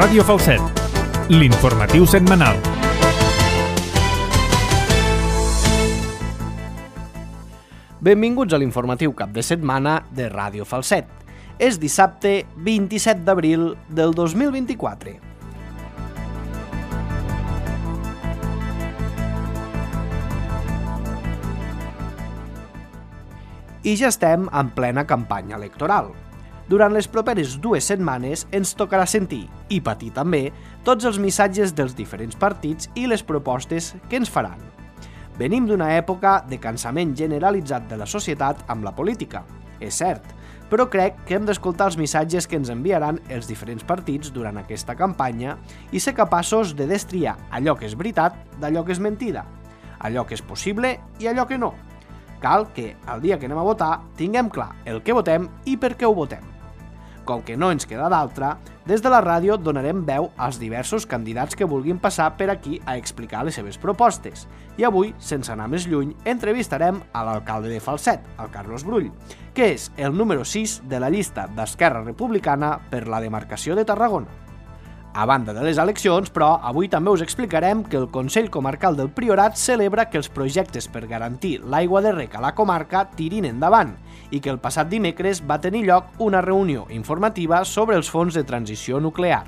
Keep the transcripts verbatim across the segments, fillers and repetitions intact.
Ràdio Falset, l'informatiu setmanal. Benvinguts a l'informatiu cap de setmana de Ràdio Falset. És dissabte vint-i-set d'abril del dos mil vint-i-quatre. I ja estem en plena campanya electoral. Durant les properes dues setmanes ens tocarà sentir, i patir també, tots els missatges dels diferents partits i les propostes que ens faran. Venim d'una època de cansament generalitzat de la societat amb la política, és cert, però crec que hem d'escoltar els missatges que ens enviaran els diferents partits durant aquesta campanya i ser capaços de destriar allò que és veritat d'allò que és mentida, allò que és possible i allò que no. Cal que, el dia que anem a votar, tinguem clar el que votem i per què ho votem. Com que no ens queda d'altra, des de la ràdio donarem veu als diversos candidats que vulguin passar per aquí a explicar les seves propostes. I avui, sense anar més lluny, entrevistarem a l'alcalde de Falset, el Carlos Brull, que és el número sis de la llista d'Esquerra Republicana per la demarcació de Tarragona. A banda de les eleccions, però, avui també us explicarem que el Consell Comarcal del Priorat celebra que els projectes per garantir l'aigua de rec a la comarca tirin endavant i que el passat dimecres va tenir lloc una reunió informativa sobre els fons de transició nuclear.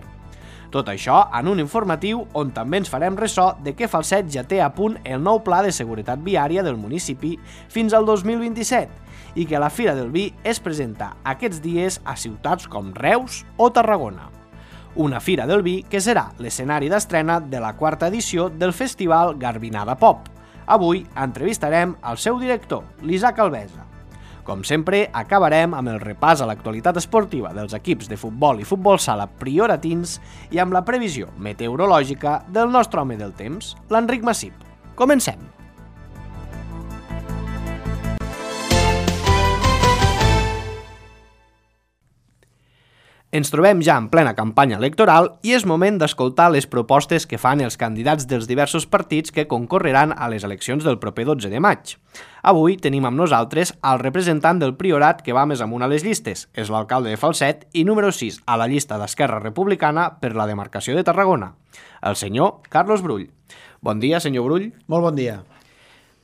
Tot això en un informatiu on també ens farem ressò de que Falset ja té a punt el nou pla de seguretat viària del municipi fins al dos mil vint-i-set i que la Fira del Vi es presenta aquests dies a ciutats com Reus o Tarragona. Una Fira del Vi que serà l'escenari d'estrena de la quarta edició del festival Garbinada Pop. Avui entrevistarem el seu director, l'Isaac Alvesa. Com sempre, acabarem amb el repàs a l'actualitat esportiva dels equips de futbol i futbol sala prioratins i amb la previsió meteorològica del nostre home del temps, l'Enric Massip. Comencem! Ens trobem ja en plena campanya electoral i és moment d'escoltar les propostes que fan els candidats dels diversos partits que concorreran a les eleccions del proper dotze de maig. Avui tenim amb nosaltres el representant del Priorat que va més amunt a les llistes, és l'alcalde de Falset i número sis a la llista d'Esquerra Republicana per la demarcació de Tarragona, el senyor Carlos Brull. Bon dia, senyor Brull. Molt bon dia.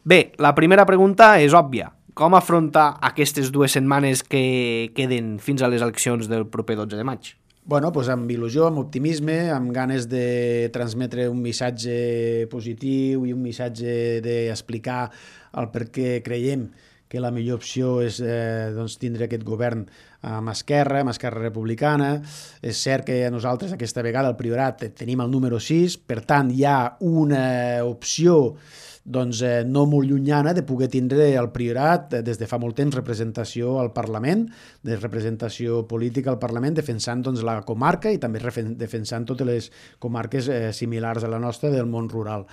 Bé, la primera pregunta és òbvia. Com afronta aquestes dues setmanes que queden fins a les eleccions del proper dotze de maig? Bueno, doncs amb il·lusió, amb optimisme, amb ganes de transmetre un missatge positiu i un missatge d'explicar el per què creiem que la millor opció és eh, doncs, tindre aquest govern amb Esquerra, amb Esquerra Republicana. És cert que nosaltres aquesta vegada al Priorat tenim el número sis, per tant hi ha una opció doncs, eh, no molt llunyana de poder tindre al Priorat eh, des de fa molt temps representació al Parlament, de representació política al Parlament, defensant doncs, la comarca i també defensant totes les comarques eh, similars a la nostra del món rural.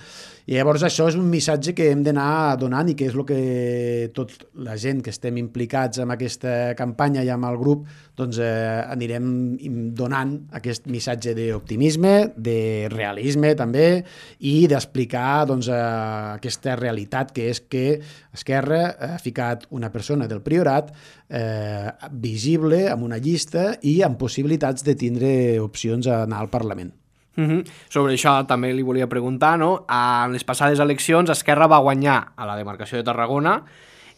I llavors això és un missatge que hem d'anar donant i que és el que tota la gent que estem implicats en aquesta campanya i amb el grup doncs, eh, anirem donant aquest missatge d'optimisme, de realisme també i d'explicar doncs, eh, aquesta realitat que és que Esquerra ha ficat una persona del Priorat eh, visible amb una llista i amb possibilitats de tindre opcions a anar al Parlament. Uh-huh. Sobre això també li volia preguntar, no? En les passades eleccions Esquerra va guanyar a la demarcació de Tarragona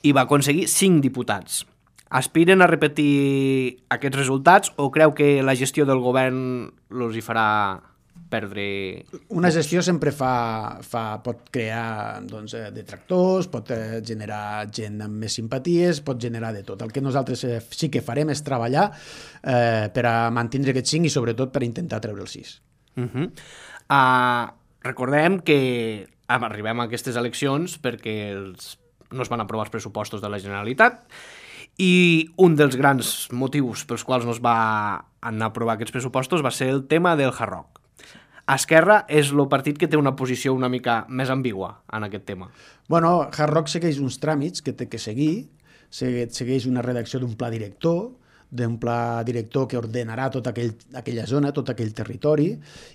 i va aconseguir cinc diputats. Aspiren a repetir aquests resultats o creu que la gestió del govern els hi farà perdre... Una gestió sempre fa, fa, pot crear doncs, detractors, pot generar gent amb més simpaties, pot generar de tot. El que nosaltres sí que farem és treballar eh, per a mantenir aquests cinc i sobretot per intentar treure els sis. Uh-huh. uh, recordem que arribem a aquestes eleccions perquè els, no es van aprovar els pressupostos de la Generalitat i un dels grans motius pels quals no es va anar a aprovar aquests pressupostos va ser el tema del Hard Rock. Esquerra és el partit que té una posició una mica més ambigua en aquest tema. Bueno, Hard Rock segueix uns tràmits que té que seguir, segueix una redacció d'un pla director, d'un pla director que ordenarà tota aquell, aquella zona, tot aquell territori,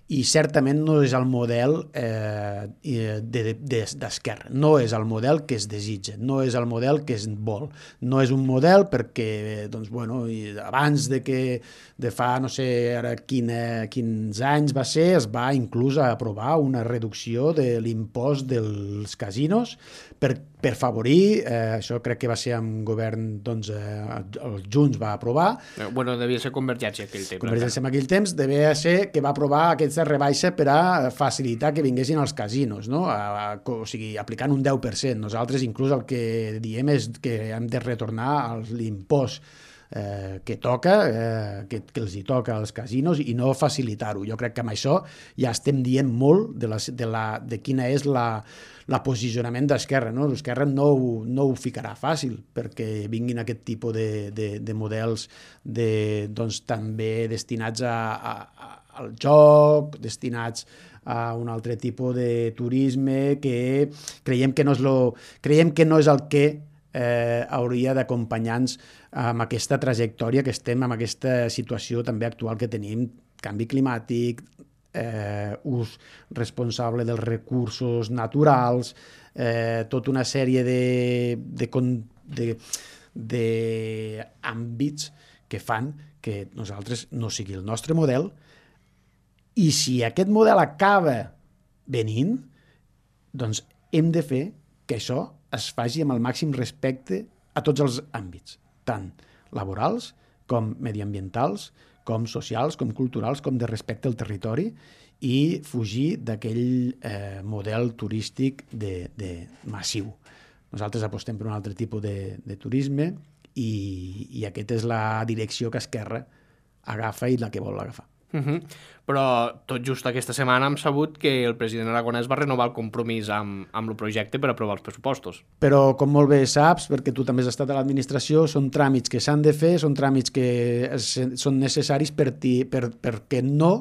i certament no és el model eh, d'esquerra, de, de, no és el model que es desitja, no és el model que es vol, no és un model perquè, doncs, bueno, abans de que de fa, no sé, ara quina, quins anys va ser, es va inclús aprovar una reducció de l'impost dels casinos per, per favorir, eh, això crec que va ser amb govern, doncs, eh, els Junts va aprovar. Bueno, devia ser Convergència aquell temps. Convergència en aquell temps devia ser que va aprovar aquesta rebaixa per a facilitar que vinguessin als casinos, no? A, a, o sigui, aplicant un deu per cent. Nosaltres inclús el que diem és que hem de retornar l'impost Eh, que toca, eh, que, que els hi toca als casinos i no facilitar-ho. Jo crec que amb això ja estem dient molt de, la, de, la, de quina és la, la posicionament d'Esquerra. No? L'Esquerra no, no ho ficarà fàcil perquè vinguin aquest tipus de, de, de models de, doncs, també destinats a, a, a, al joc, destinats a un altre tipus de turisme que creiem que no és, lo, creiem que no és el que eh, hauria d'acompanyar-nos amb aquesta trajectòria que estem, amb aquesta situació també actual que tenim, canvi climàtic, eh, ús responsable dels recursos naturals, eh, tota una sèrie de, de, de, de àmbits que fan que nosaltres no sigui el nostre model, i si aquest model acaba venint, doncs hem de fer que això es faci amb el màxim respecte a tots els àmbits, tant laborals com mediambientals, com socials, com culturals, com de respecte al territori, i fugir d'aquell eh, model turístic de, de massiu. Nosaltres apostem per un altre tipus de, de turisme i, i aquesta és la direcció que Esquerra agafa i la que vol agafar. Uh-huh. Però tot just aquesta setmana hem sabut que el president Aragonès va renovar el compromís amb, amb el projecte per aprovar els pressupostos. Però, com molt bé saps, perquè tu també has estat a l'administració, són tràmits que s'han de fer, són tràmits que es, són necessaris per ti, per, perquè no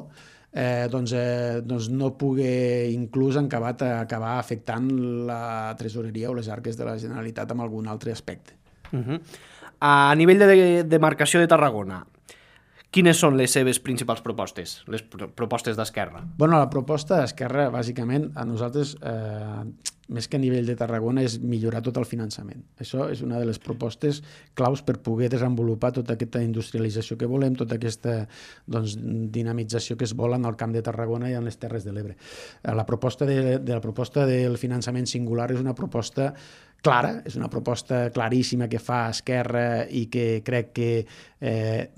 eh, doncs, eh, doncs no pugui inclús acabar, acabar afectant la tresoreria o les arques de la Generalitat amb algun altre aspecte. Uh-huh. A nivell de demarcació de Tarragona, quines són les seves principals propostes, les propostes d'Esquerra? Bueno, la proposta d'Esquerra, bàsicament, a nosaltres, eh, més que a nivell de Tarragona, és millorar tot el finançament. Això és una de les propostes claus per poder desenvolupar tota aquesta industrialització que volem, tota aquesta doncs, dinamització que es vol en el Camp de Tarragona i en les Terres de l'Ebre. La proposta, de, de la proposta del finançament singular és una proposta clara, és una proposta claríssima que fa Esquerra i que crec que eh,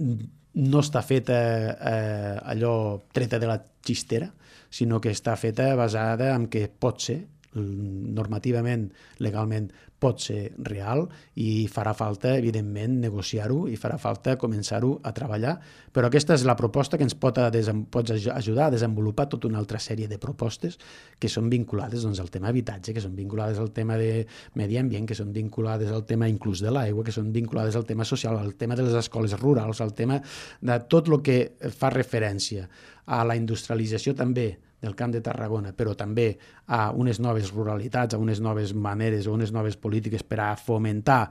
no està feta eh, allò treta de la xistera, sinó que està feta basada en que pot ser, normativament, legalment, pot ser real i farà falta, evidentment, negociar-ho i farà falta començar-ho a treballar. Però aquesta és la proposta que ens pot, a desem, pot ajudar a desenvolupar tota una altra sèrie de propostes que són vinculades doncs, al tema habitatge, que són vinculades al tema de medi ambient, que són vinculades al tema inclús de l'aigua, que són vinculades al tema social, al tema de les escoles rurals, al tema de tot el que fa referència a la industrialització també del Camp de Tarragona, però també a unes noves ruralitats, a unes noves maneres o unes noves polítiques per a fomentar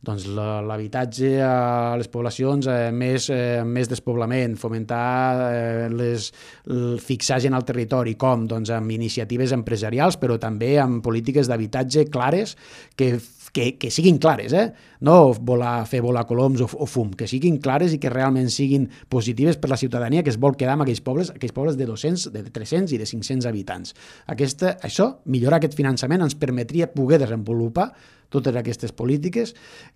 doncs, l'habitatge a les poblacions eh, més, eh, més despoblament, fomentar eh, les, el fixar gent al territori, com doncs, amb iniciatives empresarials, però també amb polítiques d'habitatge clares que Que, que siguin clares, eh? No volar, fer volar coloms o, o fum, que siguin clares i que realment siguin positives per la ciutadania que es vol quedar en aquells pobles, aquells pobles de dos-cents, de tres-cents i de cinc-cents habitants. Aquesta, això, millorar aquest finançament ens permetria poder desenvolupar totes aquestes polítiques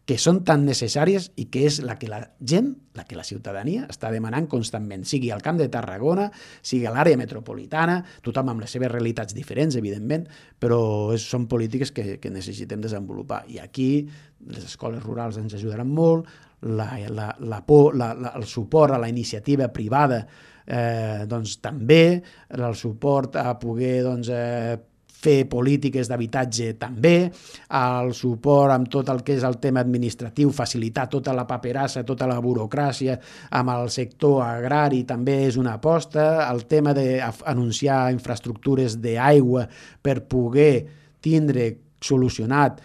que són tan necessàries i que és la que la gent, la que la ciutadania està demanant constantment, sigui al Camp de Tarragona, sigui a l'àrea metropolitana, tothom amb les seves realitats diferents, evidentment, però és, són polítiques que, que necessitem desenvolupar. I aquí les escoles rurals ens ajudaran molt, la, la, la por, la, la, el suport a la iniciativa privada eh, doncs, també, el suport a poder doncs, eh, fer polítiques d'habitatge també, el suport amb tot el que és el tema administratiu, facilitar tota la paperassa, tota la burocràcia amb el sector agrari també és una aposta, el tema d'anunciar infraestructures d'aigua per poder tindre solucionat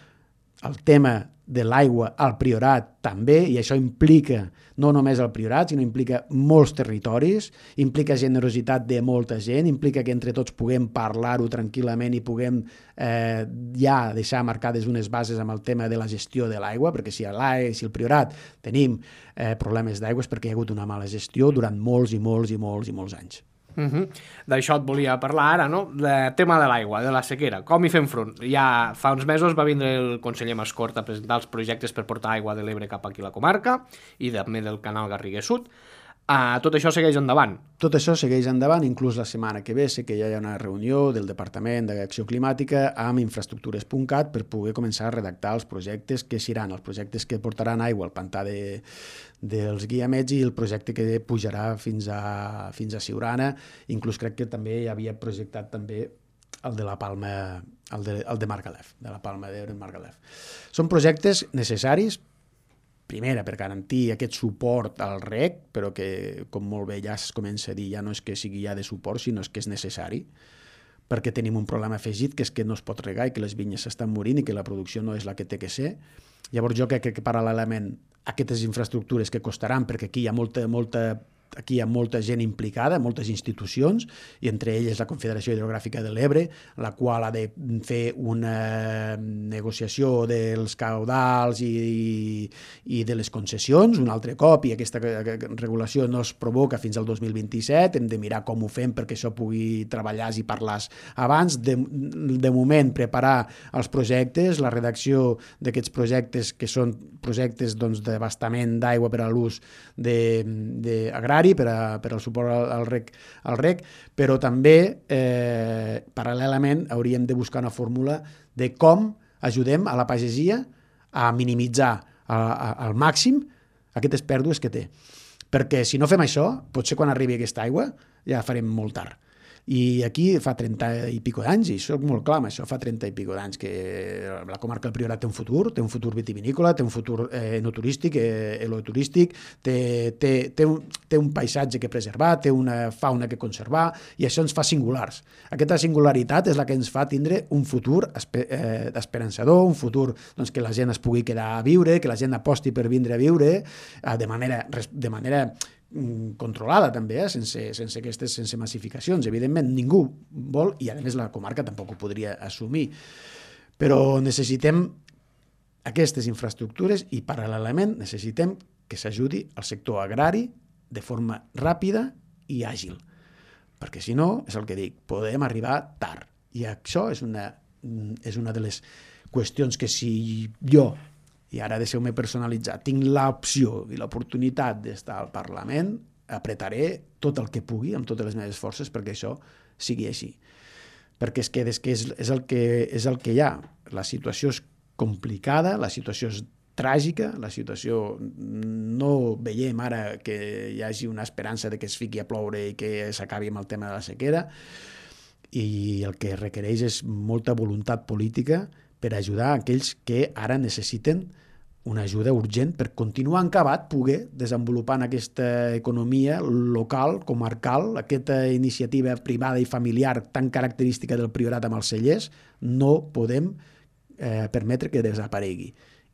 el tema de l'aigua al Priorat també, i això implica no només el Priorat, sinó implica molts territoris, implica generositat de molta gent, implica que entre tots puguem parlar-ho tranquil·lament i puguem eh, ja deixar marcades unes bases amb el tema de la gestió de l'aigua, perquè si a l'A E, si al Priorat tenim eh, problemes d'aigua és perquè hi ha hagut una mala gestió durant molts i molts i molts i molts anys. Uh -huh. D'això et volia parlar ara, no? El tema de l'aigua, de la sequera, com hi fem front? Ja fa uns mesos va vindre el conseller Mascort a presentar els projectes per portar aigua de l'Ebre cap aquí a la comarca i també del canal Garrigues Sud. Uh, tot això segueix endavant? Tot això segueix endavant, inclús la setmana que ve sé que ja hi ha una reunió del Departament d'Acció Climàtica amb infraestructures punt cat per poder començar a redactar els projectes que seran, els projectes que portaran aigua al pantà de, dels Guiamets i el projecte que pujarà fins a, fins a Siurana. Inclús crec que també hi havia projectat també el de la Palma, el de, el de Margalef, de la Palma d'Ebre en Margalef. Són projectes necessaris, primera, per garantir aquest suport al reg, però que, com molt bé ja es comença a dir, ja no és que sigui ja de suport, sinó és que és necessari, perquè tenim un problema afegit, que és que no es pot regar i que les vinyes s'estan morint i que la producció no és la que té que ser. Llavors jo crec que paral·lelament aquestes infraestructures que costaran, perquè aquí hi ha molta, molta aquí hi ha molta gent implicada, moltes institucions, i entre elles la Confederació Hidrogràfica de l'Ebre, la qual ha de fer una negociació dels caudals i, i de les concessions un altre cop, i aquesta regulació no es provoca fins al dos mil vint-i-set, hem de mirar com ho fem perquè això pugui treballar i parlar abans. De, de moment, preparar els projectes, la redacció d'aquests projectes, que són projectes doncs, d'abastament d'aigua per a l'ús agrari, per, a, per al suport al reg, al reg, però també eh, paral·lelament hauríem de buscar una fórmula de com ajudem a la pagesia a minimitzar a, a, al màxim aquestes pèrdues que té. Perquè si no fem això, potser quan arribi aquesta aigua ja farem molt tard. I aquí fa trenta i pico d'anys, i soc molt clar amb això, fa trenta i pico d'anys que la comarca del Priorat té un futur, té un futur vitivinícola, té un futur eh, enoturístic, eh, eloturístic, té, té, té, un, té un paisatge que preservar, té una fauna que conservar, i això ens fa singulars. Aquesta singularitat és la que ens fa tindre un futur espe, eh, esperançador, un futur doncs, que la gent es pugui quedar a viure, que la gent aposti per vindre a viure eh, de manera, de manera controlada també, eh? sense, sense aquestes sense massificacions. Evidentment ningú vol, i a més la comarca tampoc ho podria assumir, però necessitem aquestes infraestructures i paral·lelament necessitem que s'ajudi al sector agrari de forma ràpida i àgil, perquè si no, és el que dic, podem arribar tard, i això és una, és una de les qüestions que si jo, i ara deixeu-me personalitzar, tinc l'opció i l'oportunitat d'estar al Parlament, apretaré tot el que pugui, amb totes les meves forces, perquè això sigui així. Perquè és que, és, que és, és, el que és el que hi ha. La situació és complicada, la situació és tràgica, la situació no veiem ara que hi hagi una esperança de que es fiqui a ploure i que s'acabi amb el tema de la sequera, i el que requereix és molta voluntat política per ajudar aquells que ara necessiten una ajuda urgent per continuar encabat, poder desenvolupar aquesta economia local, comarcal, aquesta iniciativa privada i familiar tan característica del Priorat amb els cellers, no podem eh, permetre que desaparegui.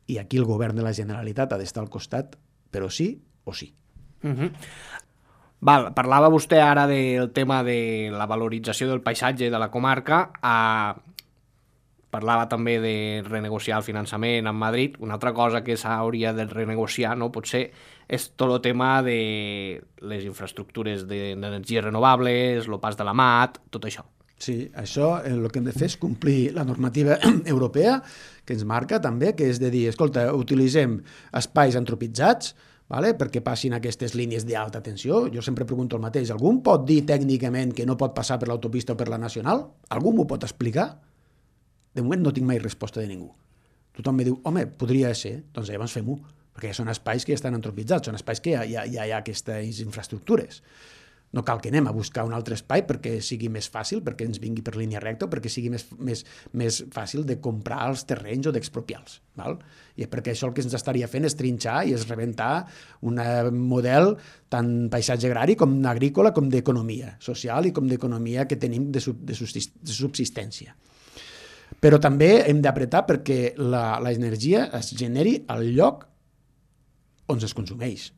I aquí el govern de la Generalitat ha d'estar al costat, però sí o sí. Uh-huh. Val, parlava vostè ara del tema de la valorització del paisatge de la comarca. A... Parlava també de renegociar el finançament amb Madrid. Una altra cosa que s'hauria de renegociar, no, potser, és tot el tema de les infraestructures d'energies renovables, el pas de la mat, tot això. Sí, això el que hem de fer és complir la normativa europea que ens marca també, que és de dir, escolta, utilitzem espais antropitzats, vale? Perquè passin aquestes línies d'alta tensió. Jo sempre pregunto el mateix, algú em pot dir tècnicament que no pot passar per l'autopista o per la nacional? Algú m'ho pot explicar? De moment no tinc mai resposta de ningú. Tothom em diu, home, podria ser, doncs llavors fem-ho, perquè són espais que ja estan antropitzats, són espais que ja, ja, ja hi ha aquestes infraestructures. No cal que anem a buscar un altre espai perquè sigui més fàcil, perquè ens vingui per línia recta o perquè sigui més, més, més fàcil de comprar els terrenys o d'expropiar-los. I perquè això el que ens estaria fent és trinxar i és rebentar un model tant paisatge agrari com agrícola com d'economia social i com d'economia que tenim de, sub, de subsistència. Però també hem d'apretar perquè l'energia es generi al lloc on es consumeix.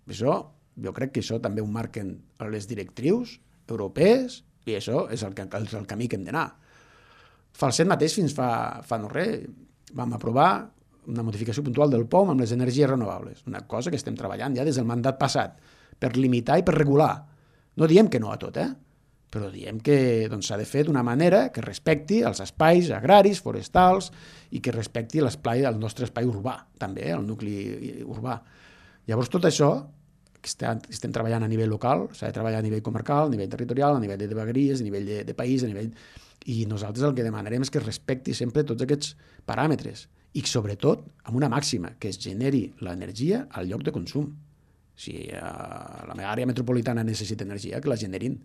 Això, jo crec que això també ho marquen les directrius europees i això és el, és el camí que hem d'anar. Falset mateix fins fa, fa no res vam aprovar una modificació puntual del P O M amb les energies renovables, una cosa que estem treballant ja des del mandat passat per limitar i per regular. No diem que no a tot, eh? Però diem que doncs, s'ha de fer d'una manera que respecti els espais agraris, forestals i que respecti l'espai, el nostre espai urbà, també, eh? El nucli urbà. Llavors, tot això que estem, estem treballant a nivell local, s'ha de treballar a nivell comarcal, a nivell territorial, a nivell de vegueries, a nivell de, de país, a nivell... I nosaltres el que demanarem és que es respecti sempre tots aquests paràmetres i sobretot amb una màxima, que es generi l'energia al lloc de consum. Si a la meva àrea metropolitana necessita energia, que la generin,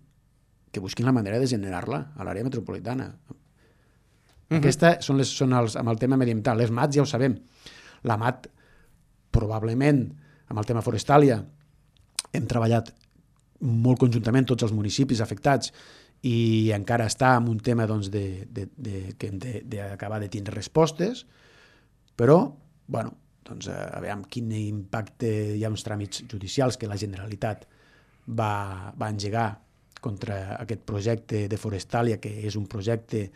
que busquin la manera de generar-la a l'àrea metropolitana. Uh-huh. Aquestes són, les, són els, amb el tema mediambiental. Les mats ja ho sabem. La mat, probablement, amb el tema forestàlia, hem treballat molt conjuntament tots els municipis afectats i encara està en un tema doncs, de, de, de, que hem d'acabar de, de tindre respostes, però, bueno, doncs, a veure quin impacte hi ha uns tràmits judicials que la Generalitat va, va engegar contra aquest projecte de Forestalia, que és un projecte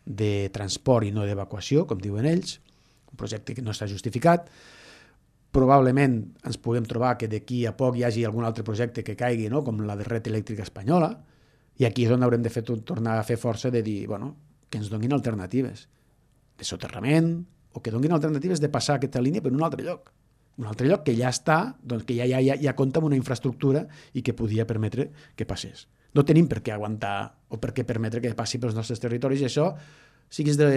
de transport i no d'evacuació, com diuen ells, un projecte que no està justificat. Probablement ens puguem trobar que d'aquí a poc hi hagi algun altre projecte que caigui, no? Com la de Red Elèctrica Espanyola, i aquí és on haurem de fer, tornar a fer força de dir, bueno, que ens donin alternatives de soterrament o que donin alternatives de passar aquesta línia per un altre lloc. Un altre lloc que ja està, doncs que ja, ja, ja, ja compta amb una infraestructura i que podia permetre que passés. No tenim per què aguantar o per què permetre que passi pels nostres territoris i això, siguis de...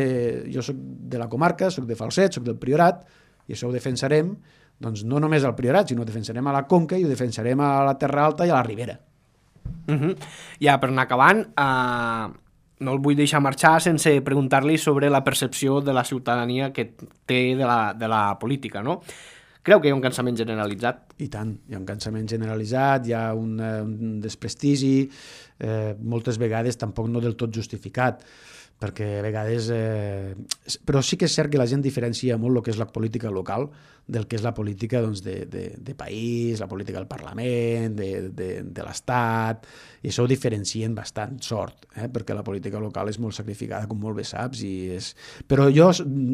jo soc de la comarca, soc de Falset, soc del Priorat i això ho defensarem, doncs no només al Priorat, sinó ho defensarem a la Conca i ho defensarem a la Terra Alta i a la Ribera. Uh-huh. Ja, per anar acabant, uh, no el vull deixar marxar sense preguntar-li sobre la percepció de la ciutadania que té de la, de la política, no? Creu que hi ha un cansament generalitzat? I tant, hi ha un cansament generalitzat, hi ha un, un desprestigi, eh, moltes vegades tampoc no del tot justificat, perquè a vegades... Eh, però sí que és cert que la gent diferencia molt el que és la política local del que és la política doncs, de, de, de país, la política del Parlament, de, de, de l'Estat, i això ho diferencien bastant, sort, eh? Perquè la política local és molt sacrificada, com molt bé saps, i és... però jo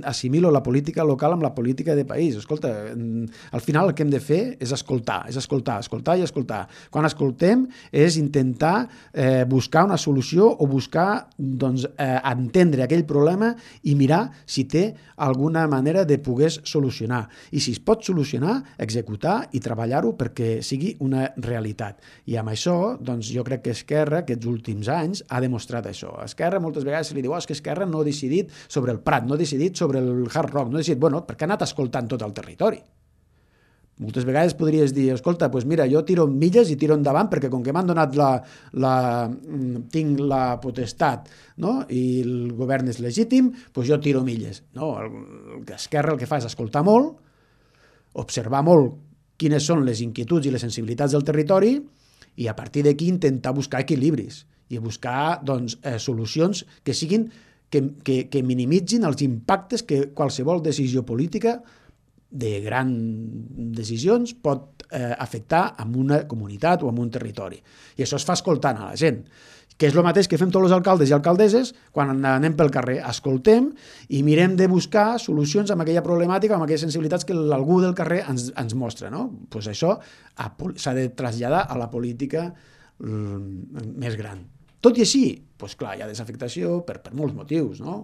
assimilo la política local amb la política de país. Escolta, al final el que hem de fer és escoltar, és escoltar, escoltar i escoltar. Quan escoltem és intentar eh, buscar una solució o buscar doncs, eh, entendre aquell problema i mirar si té alguna manera de poder solucionar. I si es pot solucionar, executar i treballar-ho perquè sigui una realitat. I amb això, doncs, jo crec que Esquerra, aquests últims anys, ha demostrat això. A Esquerra moltes vegades se li diu oh, és que Esquerra no ha decidit sobre el Prat, no ha decidit sobre el Hard Rock, no ha decidit... Bueno, perquè ha anat escoltant tot el territori. Moltes vegades podries dir, escolta, doncs mira, jo tiro milles i tiro endavant perquè com que m'han donat la, la... tinc la potestat, no? I el govern és legítim, doncs jo tiro milles. No, el, Esquerra el que fa és escoltar molt, observar molt quines són les inquietuds i les sensibilitats del territori i a partir d'aquí intentar buscar equilibris i buscar doncs, eh, solucions que siguin que, que, que minimitzin els impactes que qualsevol decisió política de grans decisions pot eh, afectar en una comunitat o en un territori. I això es fa escoltant a la gent, que és el mateix que fem tots els alcaldes i alcaldesses quan anem pel carrer. Escoltem i mirem de buscar solucions amb aquella problemàtica, amb aquelles sensibilitats que algú del carrer ens, ens mostra. No? Pues això s'ha de traslladar a la política mm, més gran. Tot i així, pues clar, hi ha desafectació per, per molts motius, no?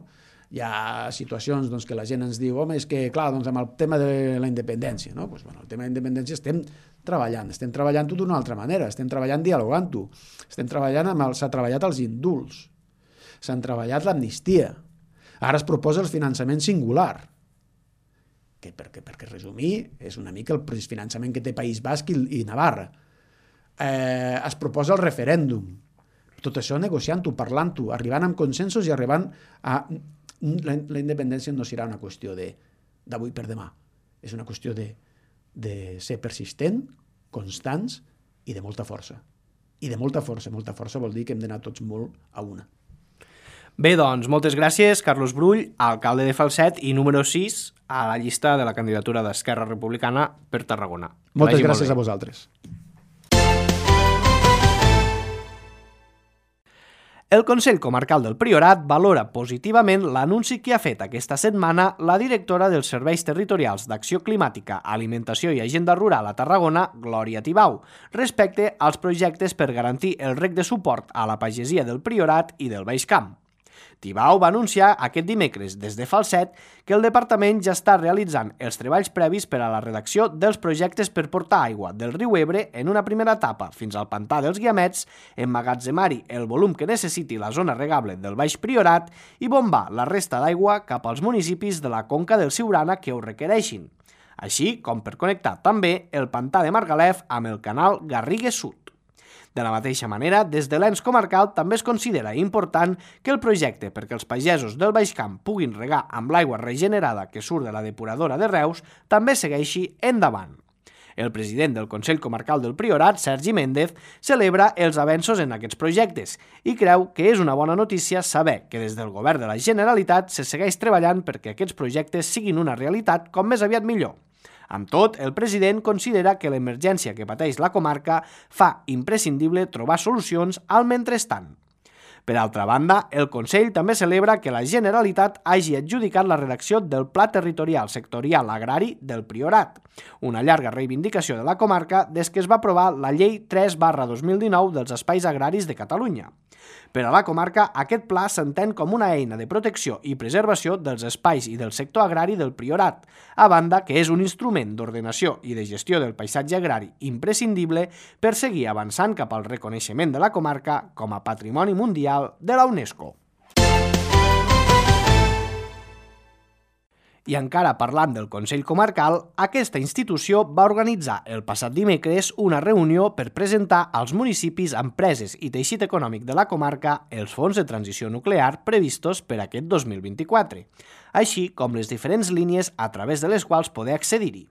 Hi ha situacions doncs, que la gent ens diu home, és que, clar, doncs, amb el tema de la independència, no? Pues, bueno, el tema de la independència estem treballant, estem treballant-ho d'una altra manera, estem treballant dialogant-ho, estem treballant amb el... s'ha treballat els indults, s'han treballat l'amnistia, ara es proposa el finançament singular, que perquè, perquè resumir, és una mica el finançament que té País Basc i, i Navarra. Eh, es proposa el referèndum, tot això negociant-ho, parlant-ho, arribant amb consensos i arribant a... La, la independència no serà una qüestió de d'avui per demà, és una qüestió de, de ser persistent, constants i de molta força. I de molta força, molta força vol dir que hem d'anar tots molt a una. Bé, doncs, moltes gràcies, Carlos Brull, alcalde de Falset i número sis a la llista de la candidatura d'Esquerra Republicana per Tarragona. Moltes gràcies a vosaltres. El Consell Comarcal del Priorat valora positivament l'anunci que ha fet aquesta setmana la directora dels Serveis Territorials d'Acció Climàtica, Alimentació i Agenda Rural a Tarragona, Glòria Tibau, respecte als projectes per garantir el reg de suport a la pagesia del Priorat i del Baix Camp. Tibau va anunciar aquest dimecres des de Falset que el departament ja està realitzant els treballs previs per a la redacció dels projectes per portar aigua del riu Ebre en una primera etapa fins al pantà dels Guiamets, emmagatzemar-hi el volum que necessiti la zona regable del Baix Priorat i bombar la resta d'aigua cap als municipis de la conca del Siurana que ho requereixin, així com per connectar també el pantà de Margalef amb el canal Garrigues Sud. De la mateixa manera, des de l'ens comarcal també es considera important que el projecte perquè els pagesos del Baix Camp puguin regar amb l'aigua regenerada que surt de la depuradora de Reus també segueixi endavant. El president del Consell Comarcal del Priorat, Sergi Méndez, celebra els avenços en aquests projectes i creu que és una bona notícia saber que des del govern de la Generalitat se segueix treballant perquè aquests projectes siguin una realitat com més aviat millor. Amb tot, el president considera que l'emergència que pateix la comarca fa imprescindible trobar solucions al mentrestant. Per altra banda, el Consell també celebra que la Generalitat hagi adjudicat la redacció del Pla Territorial Sectorial Agrari del Priorat, una llarga reivindicació de la comarca des que es va aprovar la Llei tres barra dos mil dinou dels Espais Agraris de Catalunya. Per a la comarca, aquest pla s'entén com una eina de protecció i preservació dels espais i del sector agrari del Priorat, a banda que és un instrument d'ordenació i de gestió del paisatge agrari imprescindible per seguir avançant cap al reconeixement de la comarca com a Patrimoni Mundial de la UNESCO. I encara parlant del Consell Comarcal, aquesta institució va organitzar el passat dimecres una reunió per presentar als municipis, empreses i teixit econòmic de la comarca els fons de transició nuclear previstos per aquest dos mil vint-i-quatre, així com les diferents línies a través de les quals poder accedir-hi.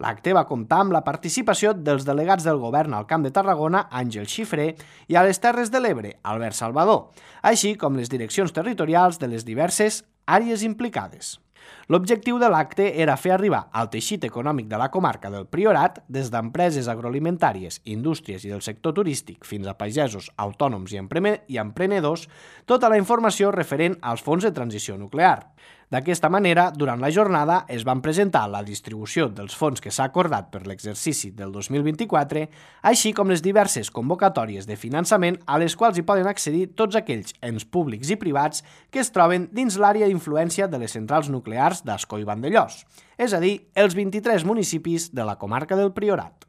L'acte va comptar amb la participació dels delegats del govern al Camp de Tarragona, Àngel Xifré, i a les Terres de l'Ebre, Albert Salvador, així com les direccions territorials de les diverses àrees implicades. L'objectiu de l'acte era fer arribar al teixit econòmic de la comarca del Priorat, des d'empreses agroalimentàries, indústries i del sector turístic fins a pagesos, autònoms i emprenedors, tota la informació referent als fons de transició nuclear. D'aquesta manera, durant la jornada es van presentar la distribució dels fons que s'ha acordat per l'exercici del dos mil vint-i-quatre, així com les diverses convocatòries de finançament a les quals hi poden accedir tots aquells ens públics i privats que es troben dins l'àrea d'influència de les centrals nuclears d'Ascó i Vandellòs, és a dir, els vint-i-tres municipis de la comarca del Priorat.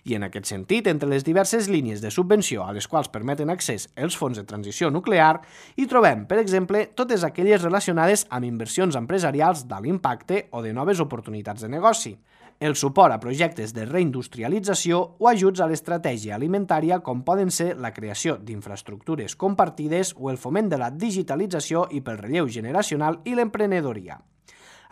I en aquest sentit, entre les diverses línies de subvenció a les quals permeten accés els fons de transició nuclear, hi trobem, per exemple, totes aquelles relacionades amb inversions empresarials d'alt impacte o de noves oportunitats de negoci, el suport a projectes de reindustrialització o ajuts a l'estratègia alimentària com poden ser la creació d'infraestructures compartides o el foment de la digitalització i pel relleu generacional i l'emprenedoria.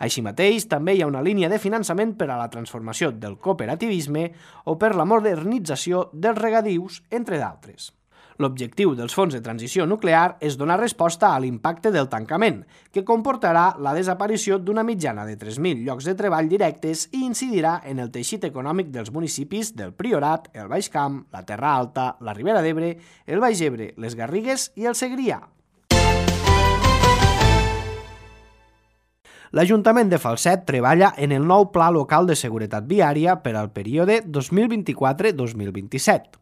Així mateix, també hi ha una línia de finançament per a la transformació del cooperativisme o per la modernització dels regadius, entre d'altres. L'objectiu dels fons de transició nuclear és donar resposta a l'impacte del tancament, que comportarà la desaparició d'una mitjana de tres mil llocs de treball directes i incidirà en el teixit econòmic dels municipis del Priorat, el Baix Camp, la Terra Alta, la Ribera d'Ebre, el Baix Ebre, les Garrigues i el Segrià. L'Ajuntament de Falset treballa en el nou Pla Local de Seguretat Viària per al període dos mil vint-i-quatre dos mil vint-i-set.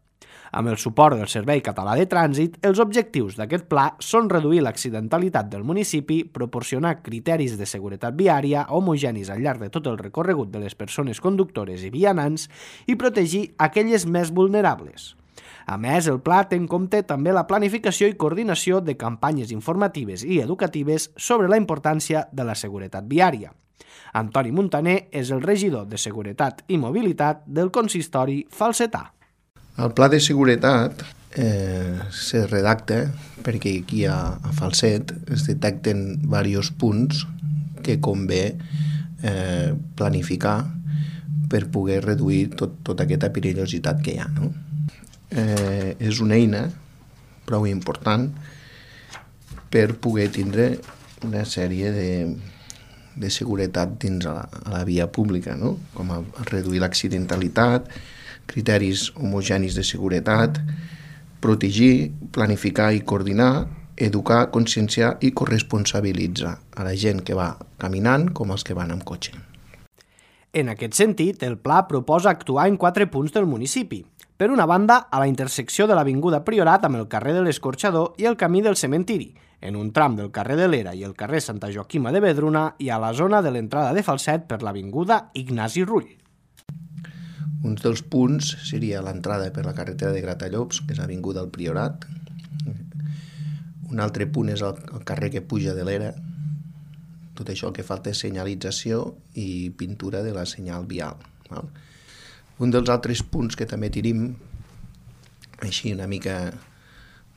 Amb el suport del Servei Català de Trànsit, els objectius d'aquest pla són reduir l'accidentalitat del municipi, proporcionar criteris de seguretat viària homogenis al llarg de tot el recorregut de les persones conductores i vianants i protegir aquelles més vulnerables. A més, el pla té en compte també la planificació i coordinació de campanyes informatives i educatives sobre la importància de la seguretat viària. Antoni Muntaner és el regidor de Seguretat i Mobilitat del consistori falsetà. El pla de seguretat eh, se redacta perquè aquí a, a Falset es detecten diversos punts que convé eh, planificar per poder reduir tot, tota aquesta perillositat que hi ha, no? Eh, és una eina prou important per poder tindre una sèrie de, de seguretat dins a la, a la via pública, no? Com a, a reduir l'accidentalitat, criteris homogenis de seguretat, protegir, planificar i coordinar, educar, conscienciar i corresponsabilitzar a la gent que va caminant com els que van amb cotxe. En aquest sentit, el pla proposa actuar en quatre punts del municipi. Per una banda, a la intersecció de l'Avinguda Priorat amb el carrer de l'Escorxador i el camí del Cementiri, en un tram del carrer de l'Era i el carrer Santa Joaquima de Vedruna i a la zona de l'entrada de Falset per l'Avinguda Ignasi Rull. Un dels punts seria l'entrada per la carretera de Gratallops, que és l'Avinguda del Priorat. Un altre punt és el, el carrer que puja de l'Era. Tot això el que falta és senyalització i pintura de la senyal vial. Val? Un dels altres punts que també tenim, així una mica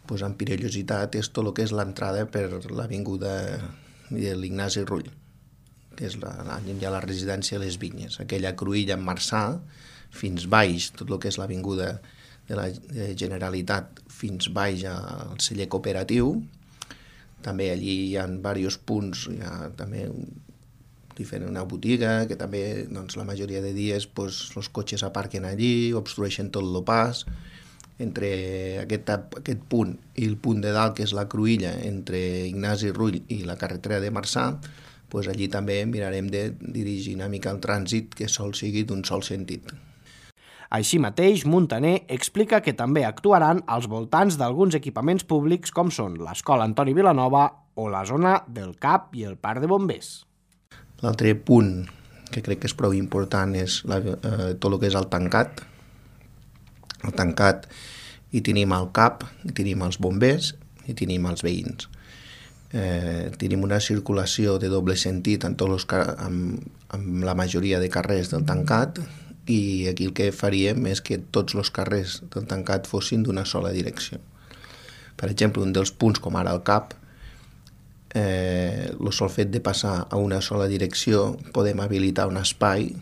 pues, amb perillositat, és tot el que és l'entrada per l'Avinguda de l'Ignasi Rull, que és la, la, ja la residència de les Vinyes, aquella cruïlla en Marçà, fins baix, tot el que és l'Avinguda de la Generalitat fins baix al celler cooperatiu. També allí hi ha diversos punts, hi ha també diferent, una botiga, que també doncs, la majoria de dies doncs, els cotxes aparquen allí, obstrueixen tot el pas. Entre aquest, aquest punt i el punt de dalt, que és la cruïlla, entre Ignasi Rull i la carretera de Marçà, doncs allí també mirarem de dirigir una mica el trànsit que sol sigui d'un sol sentit. Així mateix, Muntaner explica que també actuaran als voltants d'alguns equipaments públics com són l'Escola Antoni Vilanova o la zona del C A P i el Parc de Bombers. L'altre punt que crec que és prou important és la, eh, tot el que és el tancat. El tancat hi tenim el C A P, hi tenim els bombers i tenim els veïns. Eh, tenim una circulació de doble sentit en tots els, amb, amb la majoria de carrers del tancat, i aquí el que faríem és que tots els carrers del tancat fossin d'una sola direcció. Per exemple, un dels punts, com ara el C A P, eh, el sol fet de passar a una sola direcció, podem habilitar un espai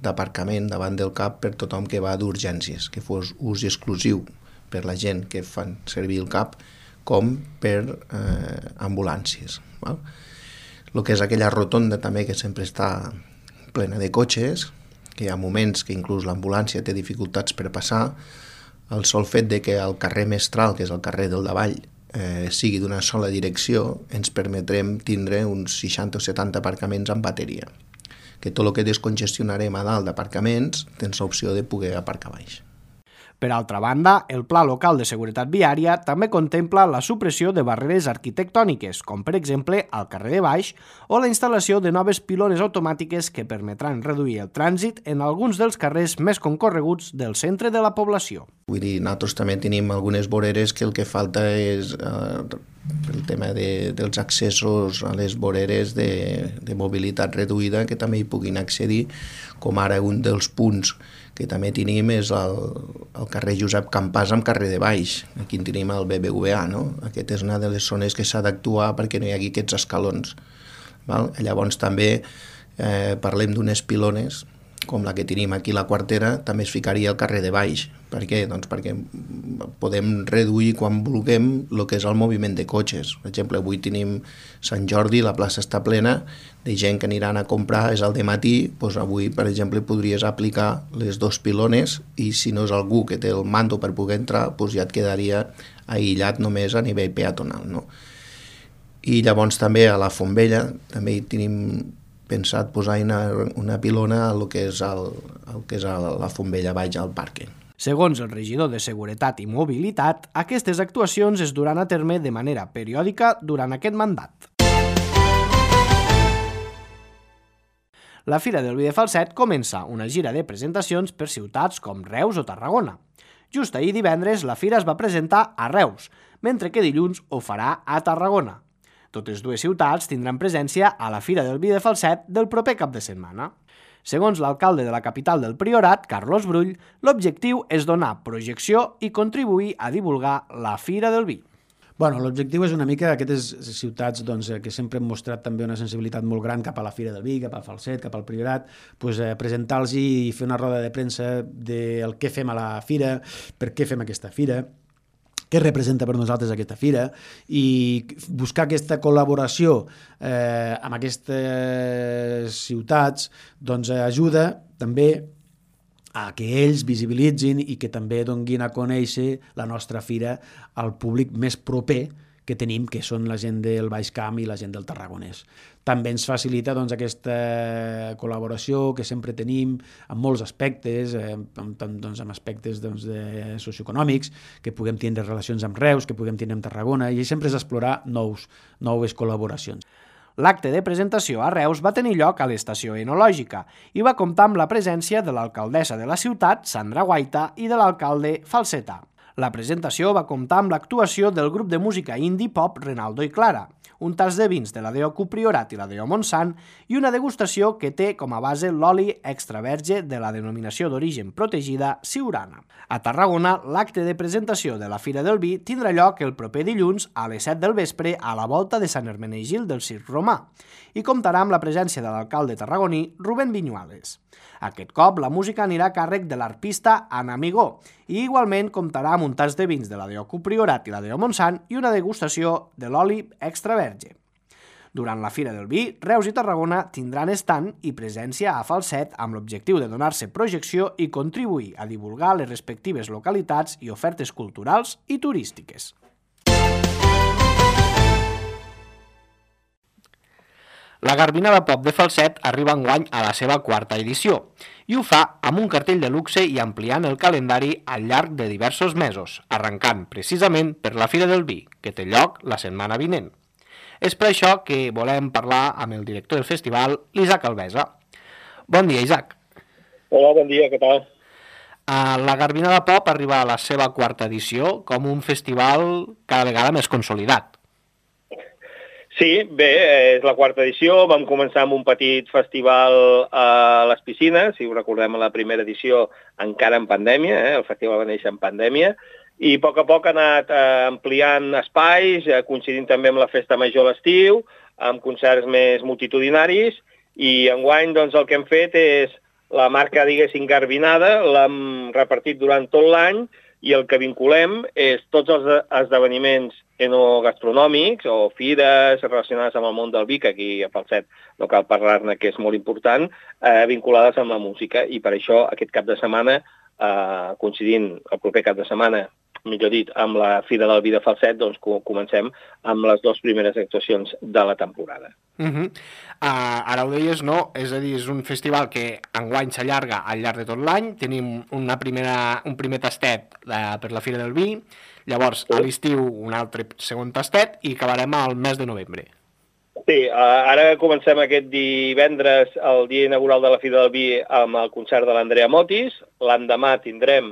d'aparcament davant del C A P per tothom que va d'urgències, que fos ús exclusiu per la gent que fan servir el C A P com per eh, ambulàncies. Val? El que és aquella rotonda també que sempre està plena de cotxes, que hi ha moments que inclús l'ambulància té dificultats per passar, el sol fet de que el carrer Mestral, que és el carrer del davall, eh, sigui d'una sola direcció, ens permetrem tindre uns seixanta o setanta aparcaments en bateria. Que tot el que descongestionarem a dalt d'aparcaments tens l'opció de poder aparcar baix. Per altra banda, el Pla Local de Seguretat Viària també contempla la supressió de barreres arquitectòniques, com per exemple al carrer de Baix, o la instal·lació de noves pilones automàtiques que permetran reduir el trànsit en alguns dels carrers més concorreguts del centre de la població. Vull dir, nosaltres també tenim algunes voreres que el que falta és eh, el tema de, dels accessos a les voreres de, de mobilitat reduïda, que també hi puguin accedir, com ara un dels punts que també tenim és el, el carrer Josep Campàs amb carrer de Baix. Aquí en tenim el B B V A, no? Aquesta és una de les zones que s'ha d'actuar perquè no hi hagi aquests escalons. Val? Llavors també eh, parlem d'unes pilones, com la que tenim aquí a la Quartera, també es ficaria al carrer de Baix. Per què? Doncs perquè podem reduir quan vulguem el que és el moviment de cotxes. Per exemple, avui tenim Sant Jordi, la plaça està plena de gent que aniran a comprar, és al dematí, doncs avui, per exemple, podries aplicar les dos pilones i si no és algú que té el mando per poder entrar, doncs ja et quedaria aïllat només a nivell peatonal, no? I llavors també a la Fontvella també hi tenim pensat posar una, una pilona a lo que és, el, el que és el, la Fontvella Baix al parc. Segons el regidor de Seguretat i Mobilitat, aquestes actuacions es duran a terme de manera periòdica durant aquest mandat. La Fira del Vi de Falset comença una gira de presentacions per ciutats com Reus o Tarragona. Just ahir divendres la fira es va presentar a Reus, mentre que dilluns ho farà a Tarragona. Totes dues ciutats tindran presència a la Fira del Vi de Falset del proper cap de setmana. Segons l'alcalde de la capital del Priorat, Carlos Brull, l'objectiu és donar projecció i contribuir a divulgar la Fira del Vi. Bueno, l'objectiu és una mica aquestes ciutats doncs, que sempre han mostrat també una sensibilitat molt gran cap a la Fira del Vi, cap al Falset, cap al Priorat, doncs, eh, presentar-los i fer una roda de premsa del què fem a la fira, per què fem aquesta fira, què representa per nosaltres aquesta fira, i buscar aquesta col·laboració eh, amb aquestes ciutats doncs, ajuda també a que ells visibilitzin i que també donguin a conèixer la nostra fira al públic més proper que tenim, que són la gent del Baix Camp i la gent del Tarragonès. També ens facilita doncs, aquesta col·laboració que sempre tenim en molts aspectes, eh, amb, doncs, amb aspectes doncs, de socioeconòmics, que puguem tindre relacions amb Reus, que puguem tindre amb Tarragona, i sempre és explorar nous, noves col·laboracions. L'acte de presentació a Reus va tenir lloc a l'estació enològica i va comptar amb la presència de l'alcaldessa de la ciutat, Sandra Guaita, i de l'alcalde Falseta. La presentació va comptar amb l'actuació del grup de música indie pop Renaldo i Clara, un tas de vins de la D O Q Priorat i la D O Montsant i una degustació que té com a base l'oli extra verge de la denominació d'origen protegida Siurana. A Tarragona, l'acte de presentació de la Fira del Vi tindrà lloc el proper dilluns a les set del vespre a la volta de Sant Hermenegil del Circ Romà i comptarà amb la presència de l'alcalde tarragoní Rubén Viñuales. Aquest cop, la música anirà a càrrec de l'arpista Anna Amigó i igualment comptarà amb un tas de vins de la D O Q Priorat i la D O Montsant i una degustació de l'oli extra verge. Durant la Fira del Vi, Reus i Tarragona tindran estand i presència a Falset amb l'objectiu de donar-se projecció i contribuir a divulgar les respectives localitats i ofertes culturals i turístiques. La Garbinada Pop de Falset arriba enguany a la seva quarta edició i ho fa amb un cartell de luxe i ampliant el calendari al llarg de diversos mesos, arrencant precisament per la Fira del Vi, que té lloc la setmana vinent. És per això que volem parlar amb el director del festival, l'Isaac Alvesa. Bon dia, Isaac. Hola, bon dia, què tal? La Garbinada Pop arriba a la seva quarta edició com un festival cada vegada més consolidat. Sí, bé, és la quarta edició. Vam començar amb un petit festival a les piscines, si ho recordem, a la primera edició encara en pandèmia, eh? El festival va néixer en pandèmia, i a poc a poc ha anat eh, ampliant espais, eh, coincidint també amb la festa major a l'estiu, amb concerts més multitudinaris, i enguany doncs, el que hem fet és la marca, diguéssim, Garbinada, l'hem repartit durant tot l'any, i el que vinculem és tots els esdeveniments enogastronòmics o fires relacionades amb el món del vi, que aquí a Falset no cal parlar-ne, que és molt important, eh, vinculades amb la música. I per això aquest cap de setmana, eh, coincidint el proper cap de setmana, millor dit, amb la Fira del Vi de Falset, doncs comencem amb les dues primeres actuacions de la temporada. Uh -huh. uh, ara ho deies, no? És a dir, és un festival que enguany s'allarga al llarg de tot l'any. Tenim una primera, un primer tastet uh, per la Fira del Vi, llavors a l'estiu un altre segon tastet i acabarem al mes de novembre. Sí, uh, ara comencem aquest divendres, el dia inaugural de la Fira del Vi, amb el concert de l'Andrea Motis. L'endemà tindrem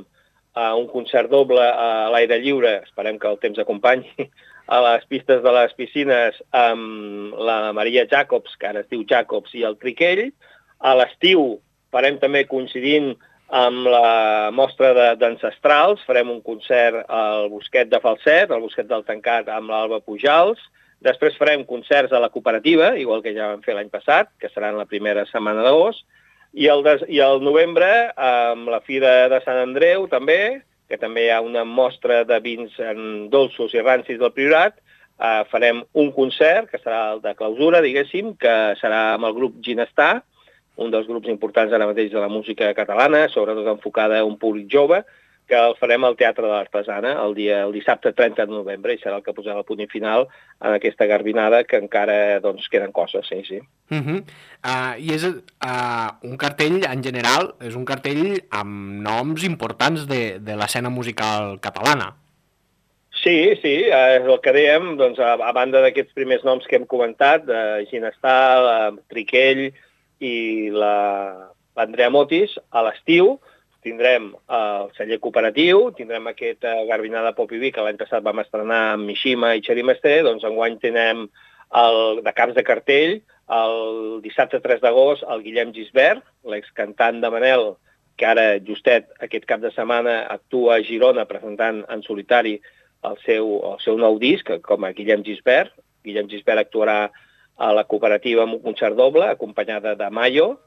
uh, un concert doble a l'aire lliure, esperem que el temps acompanyi, a les pistes de les piscines amb la Maria Jacobs, que ara es diu Jacobs, i el Triquell. A l'estiu farem també, coincidint amb la mostra d'ancestrals, farem un concert al Bosquet de Falset, al Bosquet del Tancat, amb l'Alba Pujals. Després farem concerts a la cooperativa, igual que ja vam fer l'any passat, que seran la primera setmana d'agost. I el, des, I el novembre, amb la Fira de Sant Andreu, també, que també hi ha una mostra de vins en dolços i rancis del Priorat, eh, farem un concert, que serà el de clausura, diguéssim, que serà amb el grup Ginestar, un dels grups importants ara mateix de la música catalana, sobretot enfocada a un públic jove, que el farem al Teatre de l'Artesana el, dia, el dissabte trenta de novembre, i serà el que posarà el punt final en aquesta Garbinada, que encara doncs, queden coses, sí, sí. Uh -huh. uh, I és uh, un cartell, en general, és un cartell amb noms importants de, de l'escena musical catalana. Sí, sí, és el que dèiem, doncs, a, a banda d'aquests primers noms que hem comentat, de Ginestar, Triquell i l'Andrea Motis, a l'estiu tindrem el celler cooperatiu, tindrem aquesta Garbinada Pop i Vi, que l'any passat vam estrenar amb Mishima i Xeri Mestre, doncs enguany tindrem el, de caps de cartell, el dissabte tres d'agost, el Guillem Gisbert, l'excantant de Manel, que ara justet aquest cap de setmana actua a Girona presentant en solitari el seu, el seu nou disc, com a Guillem Gisbert. Guillem Gisbert actuarà a la cooperativa amb un concert doble, acompanyada de Mayo.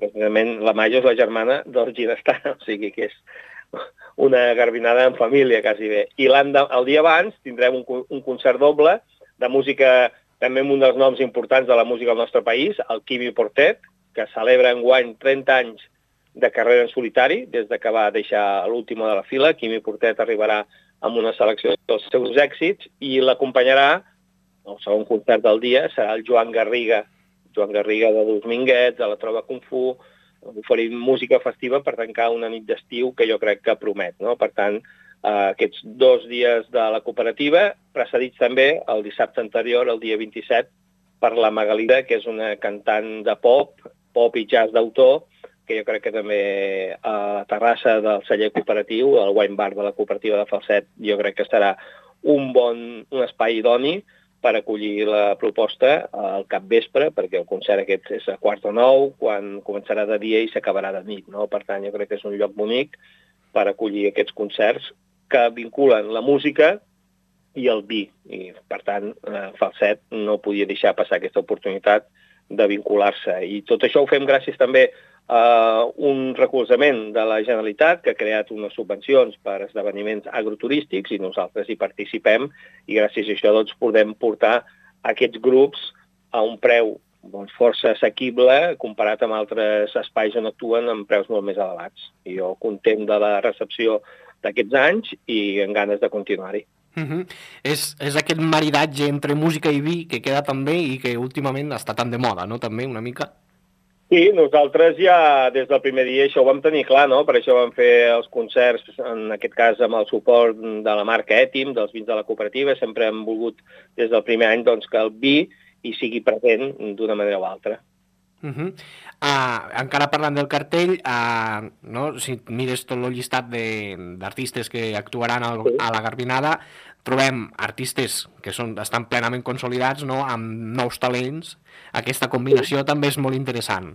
Precisament la Mayo és la germana del Ginestar, o sigui que és una garbinada en família, quasi bé. I el dia abans tindrem un, un concert doble de música, també amb un dels noms importants de la música del nostre país, el Quimi Portet, que celebra enguany trenta anys de carrera en solitari, des de que va deixar l'última de la fila. Quimi Portet arribarà amb una selecció dels seus èxits i l'acompanyarà, el segon concert del dia, serà el Joan Garriga, Joan Garriga de Dos Minguets, de la Trova Kung Fu, oferint música festiva per tancar una nit d'estiu que jo crec que promet, no? Per tant, eh, aquests dos dies de la cooperativa, precedits també el dissabte anterior, el dia vint-i-set, per la Magalida, que és una cantant de pop, pop i jazz d'autor, que jo crec que també a la terrassa del celler cooperatiu, el wine bar de la cooperativa de Falset, jo crec que serà un bon un espai idoni per acollir la proposta al capvespre, perquè el concert aquest és a quart o nou, quan començarà de dia i s'acabarà de nit, no? Per tant, jo crec que és un lloc bonic per acollir aquests concerts que vinculen la música i el vi. I, per tant, Falset no podia deixar passar aquesta oportunitat de vincular-se. I tot això ho fem gràcies també a un recolzament de la Generalitat, que ha creat unes subvencions per esdeveniments agroturístics i nosaltres hi participem, i gràcies a això doncs, podem portar aquests grups a un preu doncs, força assequible comparat amb altres espais on actuen amb preus molt més elevats. I jo content de la recepció d'aquests anys i amb ganes de continuar-hi. Uh-huh. és, és aquest maridatge entre música i vi que queda també i que últimament està tan de moda, no? També una mica. Sí, nosaltres ja des del primer dia això ho vam tenir clar, no? Per això vam fer els concerts, en aquest cas amb el suport de la marca Ètim, dels vins de la cooperativa. Sempre hem volgut des del primer any doncs, que el vi hi sigui present d'una manera o altra. Uh-huh. uh, encara parlant del cartell, uh, no? Si mires tot el llistat d'artistes que actuaran al, sí. a la Garbinada, trobem artistes que són, estan plenament consolidats, no? Amb nous talents. Aquesta combinació sí. també és molt interessant.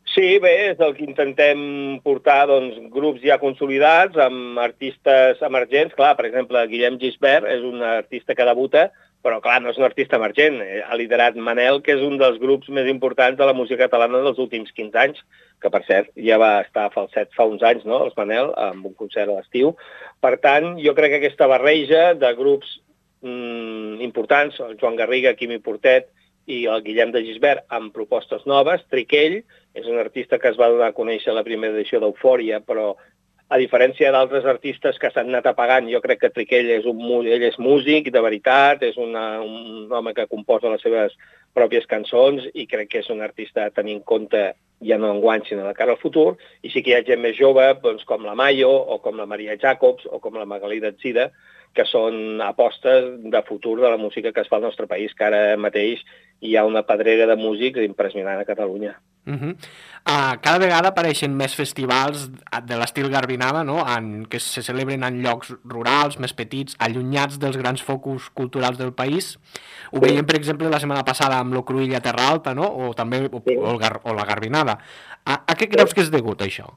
Sí, bé, és el que intentem portar doncs, grups ja consolidats amb artistes emergents. Clar, per exemple, Guillem Gisbert és un artista que debuta, però clar, no és un artista emergent. Ha liderat Manel, que és un dels grups més importants de la música catalana dels últims quinze anys, que per cert ja va estar a Falset fa uns anys, no?, els Manel, amb un concert a l'estiu. Per tant, jo crec que aquesta barreja de grups mmm, importants, el Joan Garriga, Quimi Portet i el Guillem de Gisbert, amb propostes noves. Triquell és un artista que es va donar a conèixer a la primera edició d'Eufòria, però a diferència d'altres artistes que s'han anat apagant, jo crec que Triquell és, un, ell és músic de veritat, és una, un home que composa les seves pròpies cançons i crec que és un artista a tenir en compte ja no enguany, sinó de cara al futur. I sí que hi ha gent més jove, doncs, com la Mayo, o com la Maria Jacobs, o com la Magalida Zida, que són apostes de futur de la música que es fa al nostre país, que ara mateix hi ha una pedrera de músics impressionant a Catalunya. Uh-huh. uh, cada vegada apareixen més festivals de l'estil Garbinada, no? en, que se celebren en llocs rurals, més petits, allunyats dels grans focus culturals del país. Ho veiem, per exemple, la setmana passada amb lo Cruïlla Terra Alta, no? o també o, sí. o, el Gar, o la Garbinada. A, a què creus que és degut, això?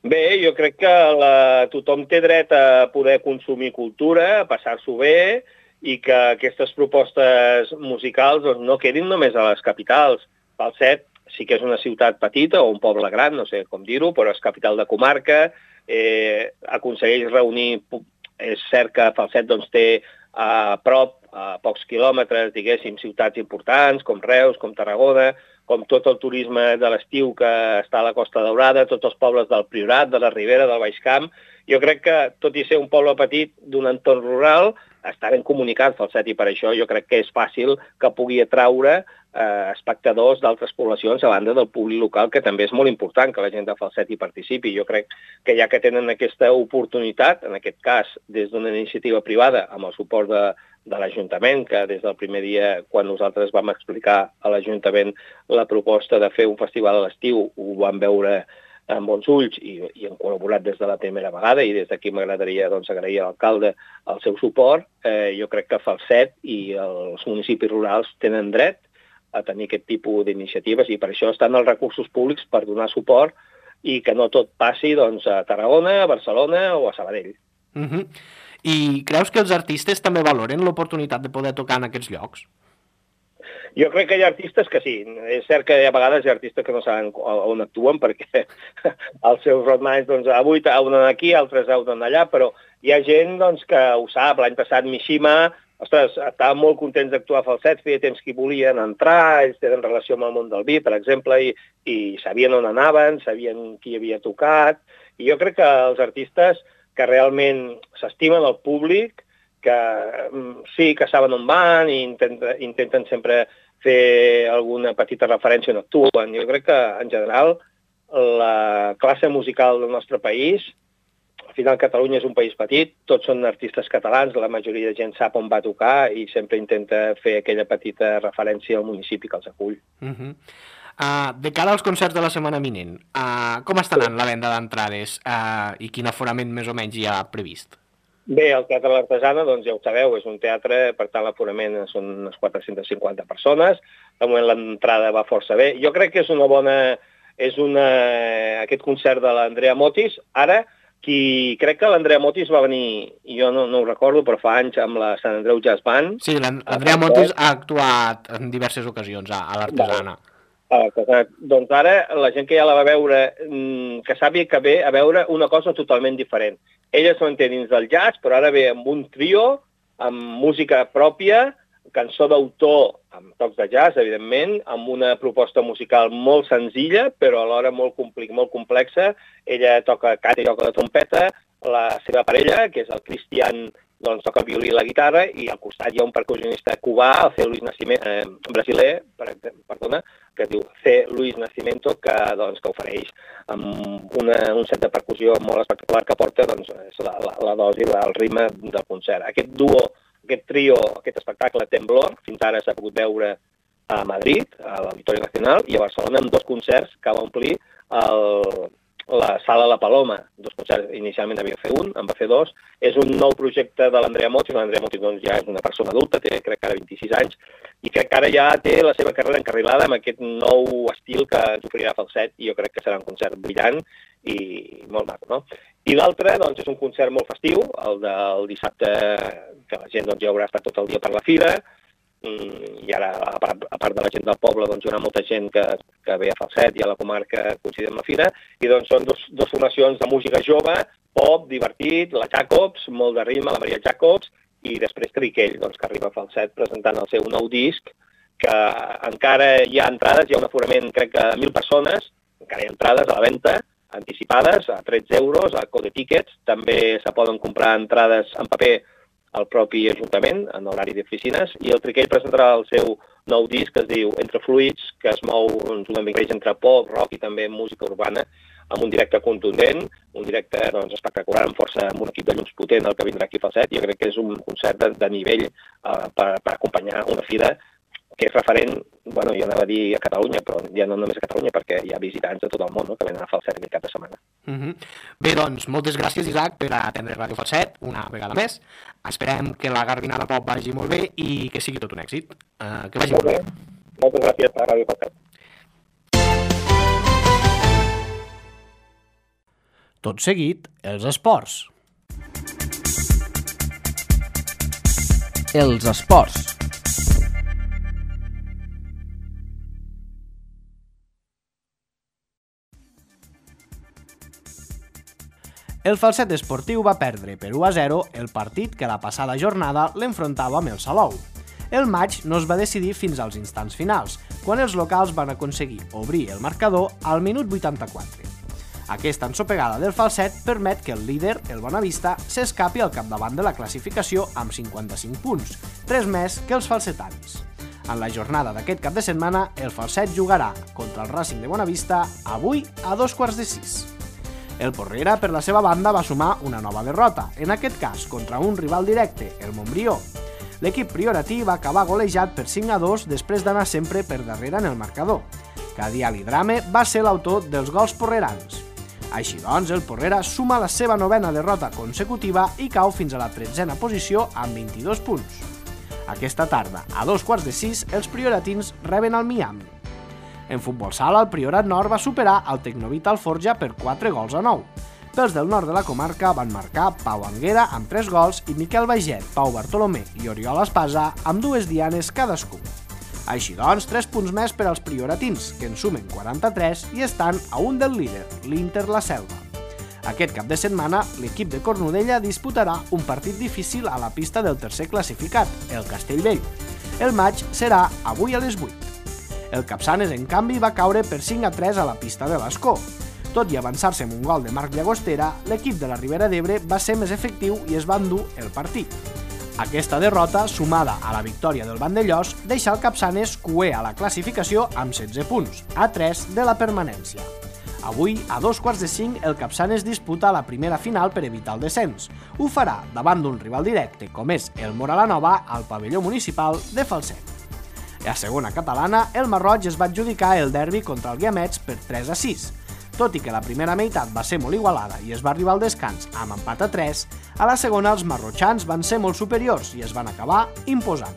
Bé, jo crec que la, tothom té dret a poder consumir cultura, a passar-s'ho bé, i que aquestes propostes musicals doncs, no quedin només a les capitals. Falset sí que és una ciutat petita o un poble gran, no sé com dir-ho, però és capital de comarca, eh, aconsegueix reunir... És cert que Falset doncs, té a prop, a pocs quilòmetres, diguéssim, ciutats importants, com Reus, com Tarragona, com tot el turisme de l'estiu que està a la Costa Daurada, tots els pobles del Priorat, de la Ribera, del Baix Camp. Jo crec que, tot i ser un poble petit d'un entorn rural, està ben comunicat Falset, i per això jo crec que és fàcil que pugui atraure eh, espectadors d'altres poblacions a banda del públic local, que també és molt important que la gent de Falset hi participi. Jo crec que ja que tenen aquesta oportunitat, en aquest cas des d'una iniciativa privada, amb el suport de, de l'Ajuntament, que des del primer dia, quan nosaltres vam explicar a l'Ajuntament la proposta de fer un festival a l'estiu, ho vam veure amb bons ulls i, i hem col·laborat des de la primera vegada, i des d'aquí m'agradaria doncs, agrair a l'alcalde el seu suport. Eh, jo crec que Falset i els municipis rurals tenen dret a tenir aquest tipus d'iniciatives, i per això estan els recursos públics per donar suport i que no tot passi doncs, a Tarragona, a Barcelona o a Sabadell. Uh-huh. I creus que els artistes també valoren l'oportunitat de poder tocar en aquests llocs? Jo crec que hi ha artistes que sí. És cert que hi ha vegades hi ha artistes que no saben on actuen perquè els seus roadmans, doncs, avui han d'anar aquí, altres han d'anar allà, però hi ha gent doncs, que ho sap. L'any passat Mishima, ostres, estaven molt contents d'actuar a Falset, feia temps que hi volien entrar, ells tenen relació amb el món del vi, per exemple, i, i sabien on anaven, sabien qui havia tocat, i jo crec que els artistes que realment s'estimen el públic, que sí, que saben on van i intenten, intenten sempre fer alguna petita referència on actuen. Jo crec que, en general, la classe musical del nostre país, al final Catalunya és un país petit, tots són artistes catalans, la majoria de gent sap on va tocar i sempre intenta fer aquella petita referència al municipi que els acull. Uh-huh. Uh, de cara als concerts de la setmana vinent, uh, com està anant la venda d'entrades uh, i quin aforament més o menys hi ha previst? Bé, el Teatre l'Artesana, doncs ja ho sabeu, és un teatre, per tant l'aforament són unes quatre-centes cinquanta persones, de moment l'entrada va força bé. Jo crec que és una bona... és una... aquest concert de l'Andrea Motis, ara, qui crec que l'Andrea Motis va venir, jo no, no ho recordo, però fa anys amb la Sant Andreu Jazz Band. Sí, l'Andrea Motis ha actuat en diverses ocasions a, a l'Artesana. Ah, doncs ara la gent que ja la va veure, que sàpiga que ve a veure una cosa totalment diferent. Ella s'ho entén dins del jazz, però ara ve amb un trio, amb música pròpia, cançó d'autor amb tocs de jazz, evidentment, amb una proposta musical molt senzilla, però alhora molt, molt complexa. Ella toca canta i toca la trompeta, la seva parella, que és el Cristian, doncs toca el violí i la guitarra, i al costat hi ha un percussionista cubà, el C. Luis Nascimento, eh, brasiler, per, perdona, que es diu C. Luis Nascimento, que, doncs, que ofereix amb una, un set de percussió molt espectacular que porta doncs, la, la, la dosi, el ritme del concert. Aquest duo, aquest trio, aquest espectacle Temblor, fins ara s'ha pogut veure a Madrid, a l'Auditori Nacional, i a Barcelona, amb dos concerts que va omplir el, la Sala La Paloma. Dos concerts, inicialment havia fer un, en va fer dos. És un nou projecte de l'Andrea Motis. L'Andrea Motis doncs, ja és una persona adulta, té crec que ara vint-i-sis anys, i crec que ara ja té la seva carrera encarrilada amb aquest nou estil que ens oferirà Falset, i jo crec que serà un concert brillant i molt maco, no? I l'altre doncs, és un concert molt festiu, el del dissabte, que la gent doncs, ja haurà estat tot el dia per la fira, i ara, a part, a part de la gent del poble, doncs, hi haurà molta gent que, que ve a Falset i a la comarca coincidint amb la fira, i doncs són dos, dos formacions de música jove, pop, divertit, la Jacobs, molt de ritme, la Maria Jacobs, i després Triquell, doncs, que arriba a Falset presentant el seu nou disc, que encara hi ha entrades, hi ha un aforament, crec que de mil persones, encara hi ha entrades a la venda, anticipades, a tretze euros, a Code Tickets, també se poden comprar entrades en paper al propi Ajuntament, en horari d'oficines, i el Triquell presentarà el seu nou disc que es diu Entre Fluids, que es mou doncs, una mica entre pop, rock i també música urbana, amb un directe contundent, un directe doncs, espectacular, amb força, amb un equip de llums potent, el que vindrà aquí a Falset. Jo crec que és un concert de, de nivell uh, per, per acompanyar una fira que és referent, bueno, jo anava a dir a Catalunya, però ja no només a Catalunya, perquè hi ha visitants de tot el món, no?, que venen a Falset aquest cap de setmana. Uh -huh. Bé, doncs, moltes gràcies, Isaac, per atendre Ràdio Falset, una vegada més. Esperem que la Garbinada Pop vagi molt bé i que sigui tot un èxit. Uh, que vagi molt, molt bé. bé. Moltes gràcies a Ràdio Falset. Tot seguit, els esports. Els esports. El Falset Esportiu va perdre per u a zero el partit que la passada jornada l'enfrontava amb el Salou. El maig no es va decidir fins als instants finals, quan els locals van aconseguir obrir el marcador al minut vuitanta-quatre. Aquesta ensopegada del Falset permet que el líder, el Bonavista, s'escapi al capdavant de la classificació amb cinquanta-cinc punts, tres més que els falsetans. En la jornada d'aquest cap de setmana, el Falset jugarà contra el Racing de Bonavista avui a dos quarts de sis. El Porrera, per la seva banda, va sumar una nova derrota, en aquest cas contra un rival directe, el Montbrió. L'equip prioratí va acabar golejat per cinc a dos després d'anar sempre per darrere en el marcador. Cadial i Drame va ser l'autor dels gols porrerans. Així doncs, el Porrera suma la seva novena derrota consecutiva i cau fins a la tretzena posició amb vint-i-dos punts. Aquesta tarda, a dos quarts de sis, els prioratins reben el Miami. En futbol sala, el Priorat Nord va superar el Tecnovita Alforja per quatre gols a nou. Pels del nord de la comarca van marcar Pau Anguera amb tres gols i Miquel Baiget, Pau Bartolomé i Oriol Espasa amb dues dianes cadascú. Així doncs, tres punts més per als prioratins, que en sumen quaranta-tres i estan a un del líder, l'Inter La Selva. Aquest cap de setmana, l'equip de Cornudella disputarà un partit difícil a la pista del tercer classificat, el Castellbell. El maig serà avui a les vuit. El Capçanes, en canvi, va caure per cinc a tres a la pista de l'Escó. Tot i avançar-se amb un gol de Marc Llagostera, l'equip de la Ribera d'Ebre va ser més efectiu i es va endur el partit. Aquesta derrota, sumada a la victòria del Vandellós, deixa el Capçanes cuer a la classificació amb setze punts, a tres de la permanència. Avui, a dos quarts de cinc, el Capçanes disputa la primera final per evitar el descens. Ho farà davant d'un rival directe, com és el Moralanova, al pavelló municipal de Falset. A segona catalana, el Marroig es va adjudicar el derbi contra el Guiamets per tres a sis. Tot i que la primera meitat va ser molt igualada i es va arribar al descans amb empat a tres, a la segona els marrotxans van ser molt superiors i es van acabar imposant.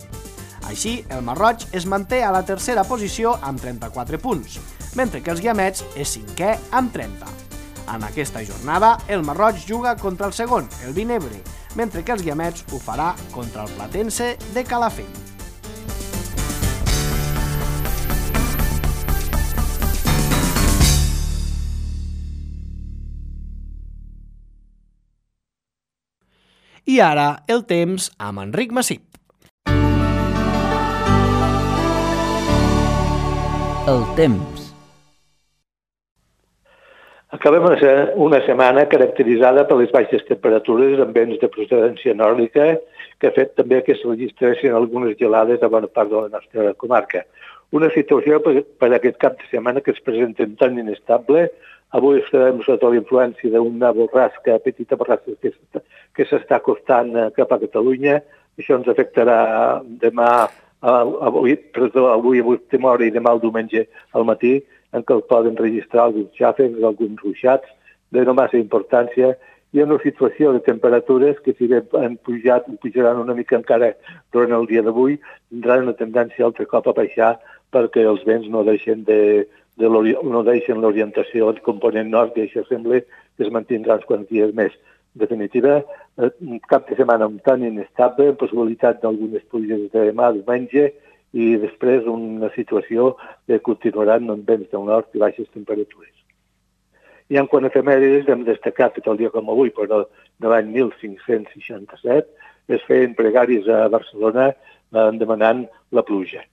Així, el Marroig es manté a la tercera posició amb trenta-quatre punts, mentre que els Guiamets és cinquè amb trenta. En aquesta jornada, el Marroig juga contra el segon, el Vinebre, mentre que els Guiamets ho farà contra el Platense de Calafell. I ara, el temps amb Enric Massip. El temps. Acabem una setmana caracteritzada per les baixes temperatures amb vents de procedència nòrdica que ha fet també que se registressin algunes gelades a bona part de la nostra comarca. Una situació per, per aquest cap de setmana que es presenta tan inestable. Avui estarem sota la influència d'una borrasca, petita borrasca que, que s'està acostant cap a Catalunya. Això ens afectarà demà, avui, perdó, avui a última hora i demà el diumenge al matí, en què es poden registrar alguns xàfecs, alguns ruixats de no massa importància, i una situació de temperatures que si bé han pujat, pujaran una mica encara durant el dia d'avui, tindran una tendència altre cop a baixar perquè els vents no deixen de, de no deixen l'orientació del component nord i això sembla que es mantindrà uns quants dies més. En definitiva, cap de setmana un tant inestable, amb possibilitat d'algunes pluges de demà, diumenge, i després una situació que continuaran amb vents del nord i baixes temperatures. I en quant a efemèrides, hem destacat que el dia com avui, però de l'any mil cinc-cents seixanta-set, es feien pregàries a Barcelona demanant la pluja.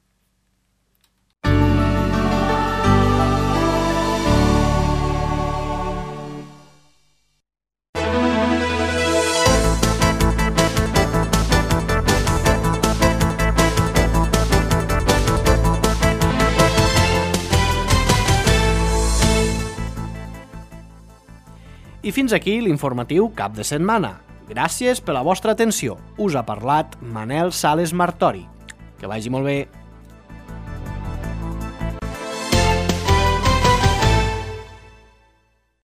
I fins aquí l'informatiu cap de setmana. Gràcies per la vostra atenció. Us ha parlat Manel Sales Martori. Que vagi molt bé.